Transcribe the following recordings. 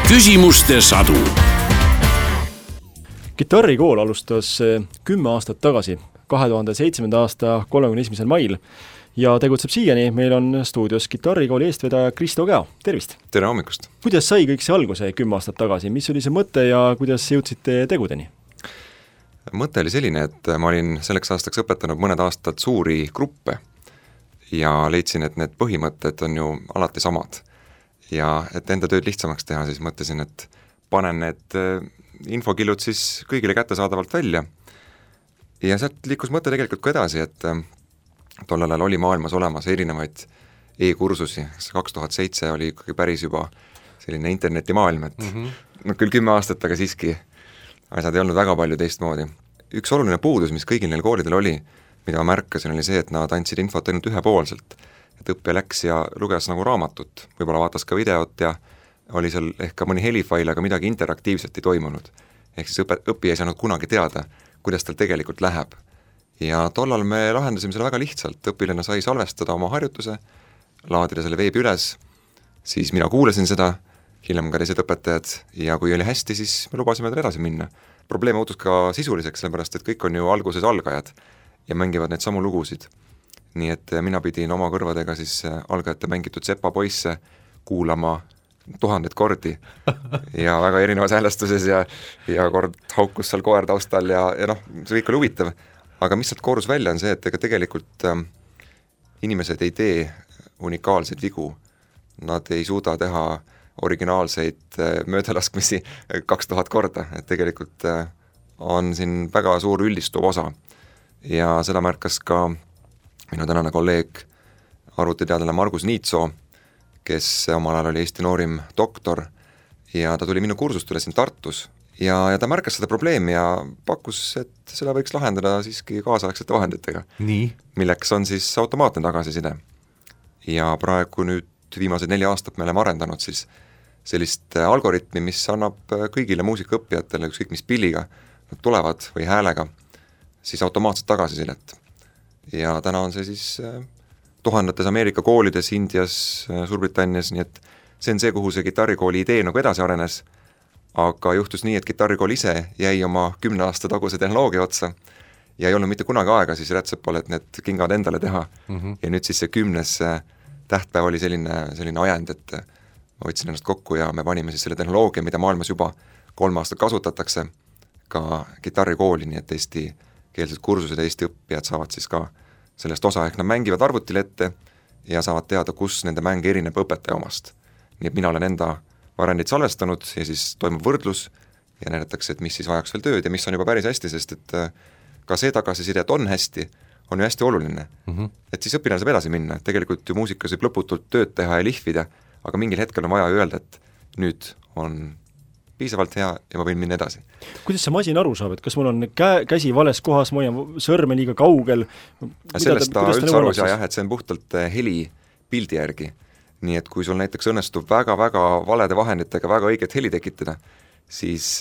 küsimuste sadu. Kitarrikool alustas 10 aastat tagasi, 2007. aasta 31. mail ja tegutseb siiani. Meil on stuudios kitarrikooli eestvedaja Kristo Käo. Tervist! Tere hommikust! Kuidas sai kõik see alguse 10 aastat tagasi? Mis oli see mõte ja kuidas jõudsite tegudeni? Mõte oli selline, et ma olin selleks aastaks õpetanud mõned aastad suuri gruppe ja leidsin, et need põhimõtted on ju alati samad. Ja et enda tööd lihtsamaks teha, siis mõtlesin, et panen need infokillud siis kõigile kättesaadavalt välja. Ja sealt liikus mõte tegelikult ka edasi, et tollel ajal oli maailmas olemas erinevaid e-kursusi. 2007 oli ikkagi päris juba selline internetimaailm, et no küll 10 aastat, aga siiski asjad ei olnud väga palju teistmoodi. Üks oluline puudus, mis kõigil neil koolidel oli, mida ma märkasin, oli see, et nad andsid infot ainult ühepoolselt. Et õppija läks ja luges nagu raamatut, võib-olla vaatas ka videot ja oli seal ehk ka mõni helifail, aga midagi interaktiivselt ei toimunud. Ehk siis õppija ei saanud kunagi teada, kuidas tal tegelikult läheb. Ja tollal me lahendasime selle väga lihtsalt, õpilane sai salvestada oma harjutuse, laadida selle veebi üles, siis mina kuulasin seda, hiljem ka teised õpetajad ja kui oli hästi, siis me lubasime tal edasi minna. Probleem muutus ka sisuliseks, sellepärast et kõik on ju alguses algajad ja mängivad neid samu lugusid. Nii et mina pidin oma kõrvadega siis algajate mängitud Sepa poisse kuulama 1000 kordi ja väga erinevas häälestuses ja kord haukus seal koer taustal ja noh, see kõik oli huvitav. Aga mis sealt koorus välja on see, et ega tegelikult inimesed ei tee unikaalseid vigu. Nad ei suuda teha originaalseid möödalaskmisi 2000 korda, et tegelikult on siin väga suur üldistuv osa. Ja seda märkas ka minu tänane kolleeg, arvutiteadlane Margus Niitsoo, kes omal ajal oli Eesti noorim doktor ja ta tuli minu kursustele siin Tartus ja ta märkas seda probleemi ja pakkus, et seda võiks lahendada siiski kaasaegsete vahenditega. Nii? Milleks on siis automaatne tagasiside. Ja praegu nüüd viimased 4 aastat me oleme arendanud siis sellist algoritmi, mis annab kõigile muusikaõppijatele, ükskõik mis pilliga nad tulevad või häälega, siis automaatset tagasisidet. Ja täna on see siis tuhandetes Ameerika koolides, Indias, Suurbritannias, nii et see on see, kuhu see kitarrikooli idee nagu edasi arenes, aga juhtus nii, et kitarrikool ise jäi oma 10 aasta taguse tehnoloogia otsa ja ei olnud mitte kunagi aega siis Rätsepal, et need kingad endale teha. Ja nüüd siis see 10. tähtpäev oli selline ajend, et ma võtsin ennast kokku ja me panime siis selle tehnoloogia, mida maailmas juba 3 aastat kasutatakse, ka kitarrikooli, nii et eestikeelsed kursused ja Eesti õppijad saavad siis ka sellest osa, ehk nad mängivad arvutile ette ja saavad teada, kus nende mäng erineb õpetaja omast. Nii et mina olen enda variandid salvestanud ja siis toimub võrdlus ja näidatakse, et mis siis vajaks veel tööd ja mis on juba päris hästi, sest et ka see tagasiside, et on hästi, on ju hästi oluline. Et siis õpilane saab edasi minna, et tegelikult ju muusikas võib lõputult tööd teha ja lihvida, aga mingil hetkel on vaja öelda, et nüüd on piisavalt hea ja ma võin minna edasi. Kuidas see masin aru saab, et kas mul on käsi vales kohas, ma olen sõrme liiga kaugel? Sellest ta üldse aru ei saa, et see on puhtalt heli pildi järgi. Nii et kui sul näiteks õnnestub väga-väga valede vahenditega väga õiget heli tekitada, siis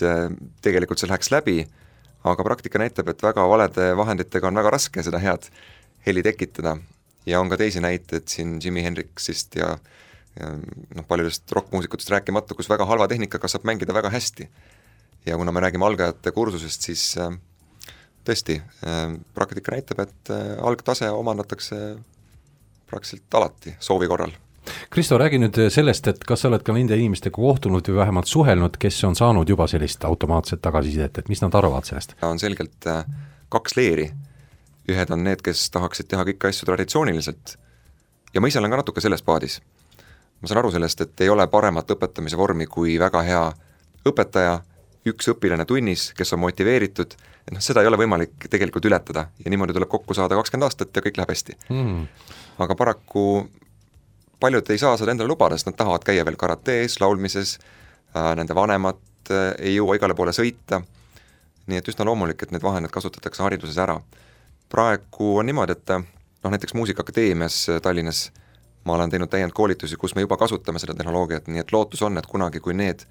tegelikult see läheks läbi, aga praktika näitab, et väga valede vahenditega on väga raske seda head heli tekitada. Ja on ka teisi näiteid siin Jimi Hendrixist ja paljudest rockmuusikutest rääkimata, kus väga halva tehnikaga saab mängida väga hästi. Ja kuna me räägime algajate kursusest, siis tõesti, praktika näitab, et algtase omandatakse praktiliselt alati soovi korral. Kristo, räägi nüüd sellest, et kas sa oled ka nende inimestega kohtunud või vähemalt suhelnud, kes on saanud juba sellist automaatset tagasisidet, et mis nad arvavad sellest? On selgelt 2 leeri. Ühed on need, kes tahaksid teha kõiki asju traditsiooniliselt ja ma ise olen ka natuke selles paadis. Ma saan aru sellest, et ei ole paremat õpetamise vormi kui väga hea õpetaja, üks õpilane tunnis, kes on motiveeritud, et seda ei ole võimalik tegelikult ületada ja niimoodi tuleb kokku saada 20 aastat ja kõik läheb hästi. Aga paraku paljud ei saa seda endale lubada, sest nad tahavad käia veel karatees, laulmises, nende vanemad ei jõua igale poole sõita, nii et üsna loomulik, et need vahendid kasutatakse hariduses ära. Praegu on niimoodi, et näiteks Muusikaakadeemias Tallinnas ma olen teinud täiendkoolitusi, kus me juba kasutame seda tehnoloogiat, nii et lootus on, et kunagi, kui need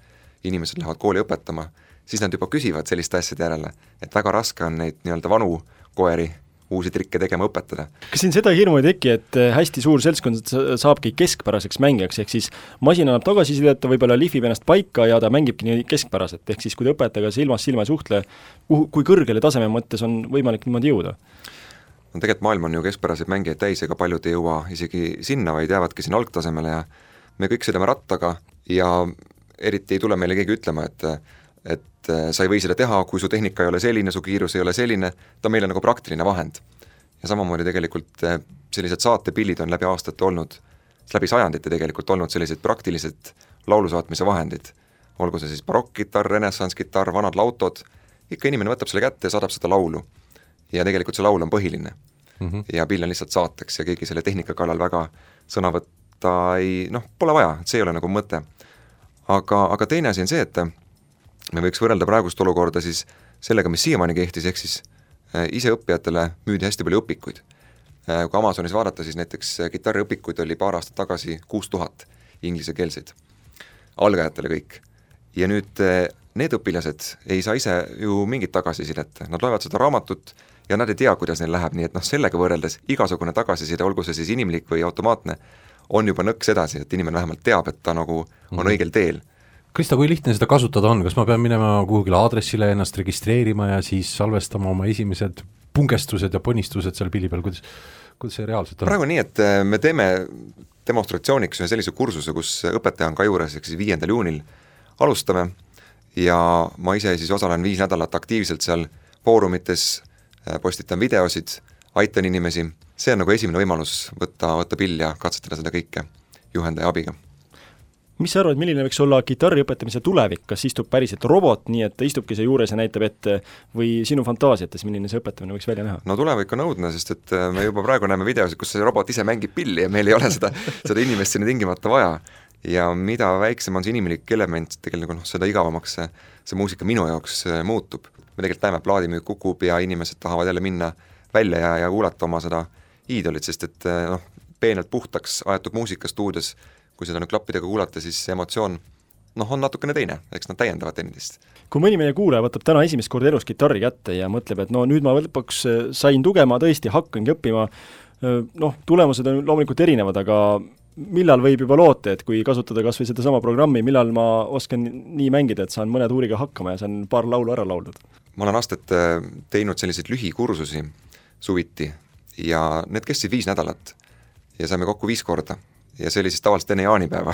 inimesed lähevad kooli õpetama, siis nad juba küsivad selliste asjade järele, et väga raske on neid nii-öelda vanu koeri uusi trikke tegema õpetada. Kas siin seda hirmu ei teki, et hästi suur seltskond saabki keskpäraseks mängijaks, ehk siis masin annab tagasisidet, ta võib-olla lihvib ennast paika ja ta mängibki nii keskpäraselt, ehk siis kui ta õpetajaga silmast silma ei suhtle, kui kõrgele taseme mõttes on võimalik niimoodi jõuda? No tegelikult maailm on ju keskpäraseid mängijaid täis, ega paljud ei jõua isegi sinna, vaid jäävadki sinna algtasemele ja me kõik sõidame rattaga ja eriti ei tule meile keegi ütlema, et sa ei või seda teha, kui su tehnika ei ole selline, su kiirus ei ole selline, ta on meile nagu praktiline vahend. Ja samamoodi tegelikult sellised saatepillid on läbi aastate olnud, läbi sajandite tegelikult olnud sellised praktilised laulusaatmise vahendid. Olgu see siis barokkkitarr, renessanskitarr, vanad lautod, ikka inimene võtab selle kätte ja saadab seda laulu. Ja tegelikult see laul on põhiline. Ja pill on lihtsalt saateks ja keegi selle tehnika kallal väga sõna võtta ei, pole vaja, see ei ole nagu mõte. Aga teine asi on see, et me võiks võrrelda praegust olukorda siis sellega, mis siiamaani kehtis, ehk siis ise õppijatele müüdi hästi palju õpikuid. Kui Amazonis vaadata, siis näiteks kitarriõpikuid oli paar aastat tagasi 6000 inglisekeelseid, algajatele kõik. Ja nüüd need õpilased ei saa ise ju mingit tagasisidet, nad loevad seda raamatut ja nad ei tea, kuidas neil läheb, nii et sellega võrreldes igasugune tagasiside, olgu see siis inimlik või automaatne, on juba nõks edasi, et inimene vähemalt teab, et ta nagu on õigel teel. Krista, kui lihtne seda kasutada on, kas ma pean minema kuhugile aadressile ennast registreerima ja siis salvestama oma esimesed pungestused ja ponistused seal pilli peal, kuidas see reaalselt on? Praegu nii, et me teeme demonstratsiooniks ühe sellise kursuse, kus õpetaja on ka juures, ehk siis 5. juunil alustame ja ma ise siis osalen 5 nädalat aktiivselt seal foorumites, postitan videosid, aitan inimesi, see on nagu esimene võimalus võtta pill ja katsetada seda kõike juhendaja abiga. Mis sa arvad, milline võiks olla kitarri õpetamise tulevik, kas istub päriselt robot, nii et ta istubki see juures ja näitab ette või sinu fantaasiates, milline see õpetamine võiks välja näha? No tulevik on õudne, sest et me juba praegu näeme videosid, kus see robot ise mängib pilli ja meil ei ole seda inimest sinna tingimata vaja. Ja mida väiksem on see inimlik element, tegelikult seda igavamaks see muusika minu jaoks muutub. Me tegelikult näeme, plaadimüük kukub ja inimesed tahavad jälle minna välja ja kuulata oma seda iidolit, sest et peenelt puhtaks aetud muusika stuudios, kui seda nüüd klappidega kuulata, siis emotsioon on natukene teine, eks nad täiendavad teineteist. Kui mõni meie kuulaja võtab täna esimest korda elus kitarri kätte ja mõtleb, et nüüd ma lõpuks sain tugema, tõesti hakkangi õppima, tulemused on loomulikult erinevad, aga millal võib juba loota, et kui kasutada kas või seda sama programmi, millal ma oskan nii mängida, et saan mõne tuuriga hakkama ja saan paar laulu ära lauldud? Ma olen aastat teinud selliseid lühikursusi suviti ja need kestsid 5 nädalat ja saime kokku 5 korda. Ja see oli siis tavaliselt enne jaanipäeva.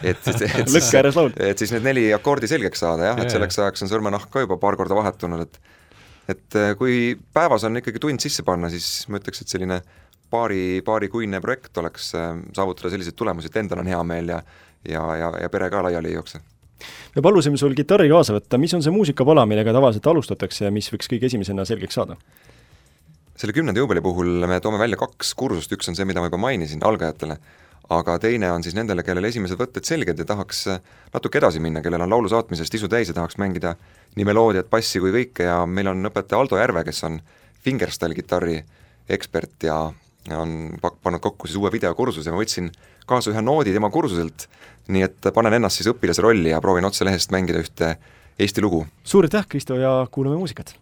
et siis need 4 akordi selgeks saada, et selleks ajaks on sõrmenahk ka juba paar korda vahetunud, et kui päevas on ikkagi tund sisse panna, siis ma ütleks, et selline paarikuine projekt oleks saavutada selliseid tulemusi, et endal on hea meel ja pere ka laiali ei jookse. Me palusime sul kitarri kaasa võtta, mis on see muusikapala, millega tavaliselt alustatakse ja mis võiks kõige esimesena selgeks saada? Selle 10. juubeli puhul me toome välja 2 kursust, üks on see, mida ma juba mainisin algajatele, aga teine on siis nendele, kellel esimesed võtted selged ja tahaks natuke edasi minna, kellel on laulu saatmisest isu täis ja tahaks mängida nii meloodiat, passi kui kõike ja meil on õpetaja Aldo Järve, kes on fingerstyle kitarri ekspert ja on pannud kokku siis uue videokursuse ja ma võtsin kaasa ühe noodi tema kursuselt, nii et panen ennast siis õpilase rolli ja proovin otse lehest mängida ühte Eesti lugu. Suur aitäh, Kristo, ja kuulame muusikat!